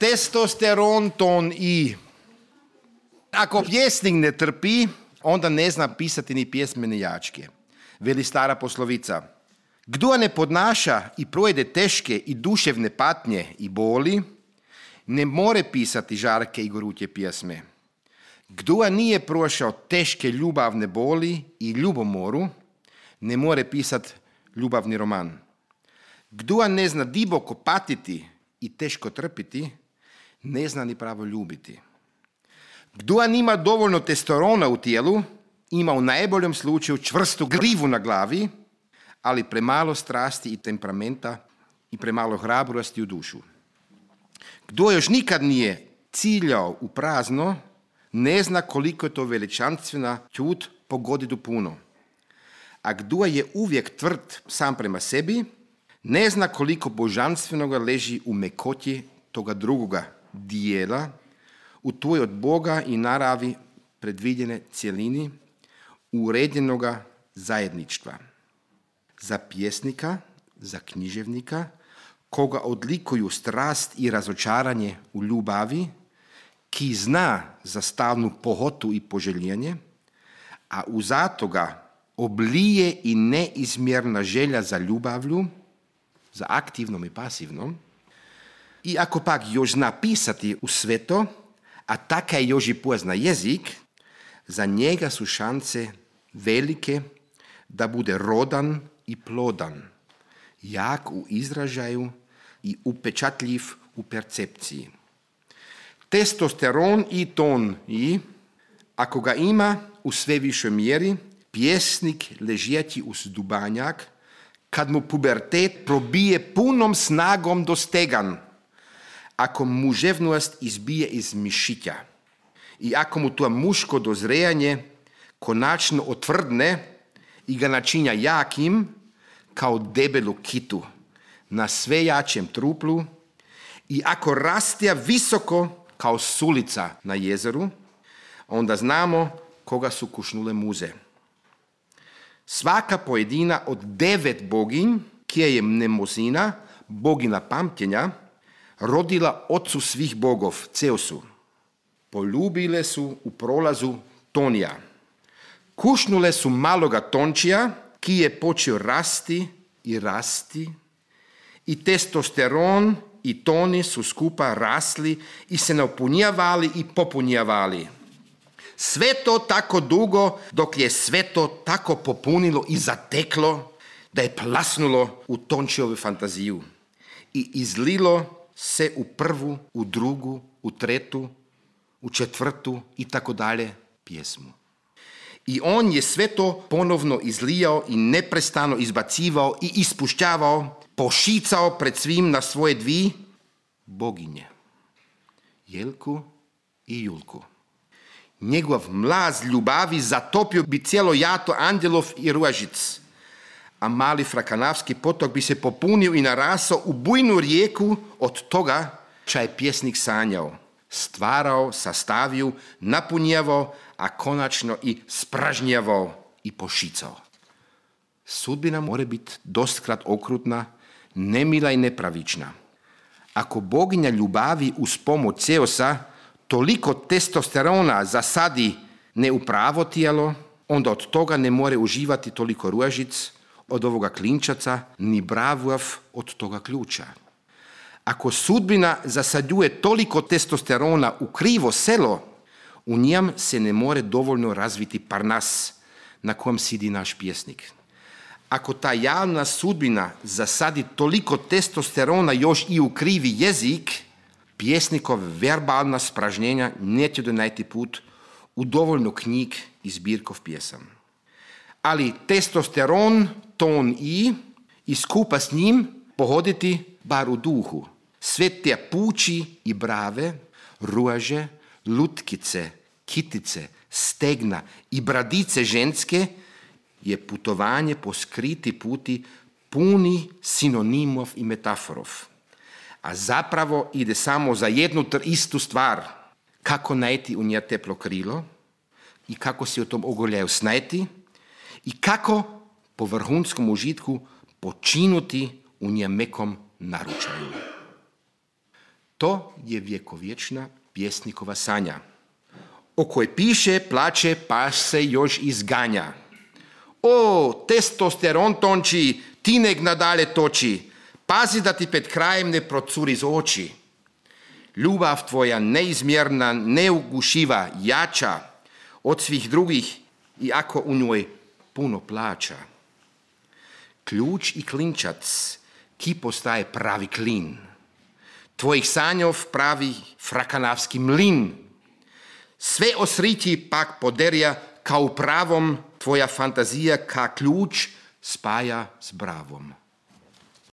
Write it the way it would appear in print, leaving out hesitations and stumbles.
Testosteron, ton I. Ako pjesnik ne trpi, onda ne zna pisati ni pjesme ni jačke. Veli stara poslovica. Kdo ne podnaša i projde teške i duševne patnje i boli, ne more pisati žarke i gorutje pjesme. Kdo nije prošao teške ljubavne boli i ljubomoru, ne more pisati ljubavni roman. Kdo ne zna diboko patiti i teško trpiti, ne zna ni pravo ljubiti. Kdo nima dovoljno testosterona u tijelu, ima u najboljem slučaju čvrstu grivu na glavi, ali premalo strasti i temperamenta i premalo hrabrosti u dušu. Kdo još nikad nije ciljao u prazno, ne zna koliko je to veličanstvena čut pogodi do puno. A kdo je uvijek tvrd sam prema sebi, ne zna koliko božanstvenoga leži u mekoti toga drugoga dijela, u toj od Boga i naravi predvidjene cjelini uredjenoga zajedništva. Za pjesnika, za književnika, koga odlikuju strast i razočaranje u ljubavi, ki zna za stalnu pohotu i poželjenje, a uzato ga oblije i neizmjerna želja za ljubavlju, za aktivnom i pasivnom, i ako pak još zna pisati u sve to, a taka još i pozna jezik, za njega su šanse velike da bude rodan i plodan, jak u izražaju i upečatljiv u percepciji. Testosteron i ton I, ako ga ima u sve višoj mjeri, pjesnik ležeći uz dubanjak, kad mu pubertet probije punom snagom do stegan, ako muževnost izbije iz mišića i ako mu to muško dozrejanje konačno otvrdne i ga načinja jakim kao debelu kitu na sve jačem truplu i ako rastja visoko kao sulica na jezeru, onda znamo koga su kušnule muze. Svaka pojedina od 9 boginj, kje je Mnemosina, bogina pamćenja, rodila ocu svih bogov, Ceusu. Poljubile su u prolazu Tonija. Kušnule su maloga Tončija, ki je počeo rasti i testosteron i Toni su skupa rasli i se napunjavali i popunjavali. Sve to tako dugo, dok je sve to tako popunilo i zateklo, da je plasnulo u Tončijovu fantaziju i izlilo se u prvu, u drugu, u tretu, u četvrtu i tako dalje pjesmu. I on je sve to ponovno izlijao i neprestano izbacivao i ispušćavao, pošicao pred svim na svoje 2 boginje, Jelku i Julku. Njegov mlaz ljubavi zatopio bi cijelo jato Andjelov i Ruažic, a mali Frakanavski potok bi se popunio i narasao u bujnu rijeku od toga ča je pjesnik sanjao, stvarao, sastavio, napunjavao, a konačno i spražnjavao i pošicao. Sudbina mora biti dostkrat okrutna, nemila i nepravična. Ako boginja ljubavi uz pomoć Ceusa toliko testosterona zasadi ne u pravo tijelo, onda od toga ne more uživati toliko Ruažic od ovoga klinčaca, ni Bravuav od toga ključa. Ako sudbina zasadjuje toliko testosterona u krivo selo, u njem se ne more dovoljno razviti Parnas na kojem sidi naš pjesnik. Ako ta javna sudbina zasadi toliko testosterona još i u krivi jezik, pjesnikov verbalna spražnjenja neće donajti put u dovoljno knjig i zbirkov pjesam. Ali testosteron, ton i skupa s njim pohoditi bar u duhu. Sve te puči i brave, ruaže, lutkice, kitice, stegna i bradice ženske je putovanje po skriti puti puni sinonimov i metaforov. A zapravo ide samo za jednu istu stvar. Kako najti u nje teplo krilo i kako se u tom ogoljaju snajti i kako po vrhunskom užitku počinuti u nje mekom naručaju. To je vjekovječna pjesnikova sanja, o kojoj piše, plače, pa se još izganja. O, testosteron tonči, ti nek nadalje toči, pazi da ti pred krajem ne procuri iz oči. Ljubav tvoja neizmjerna, neugušiva, jača od svih drugih i ako u njoj puno plaća. Ključ i klinčac, ki postaje pravi klin. Tvojih sanjov pravi frakanavski mlin. Sve osriti pak poderja, kao pravom tvoja fantazija ka ključ spaja s bravom.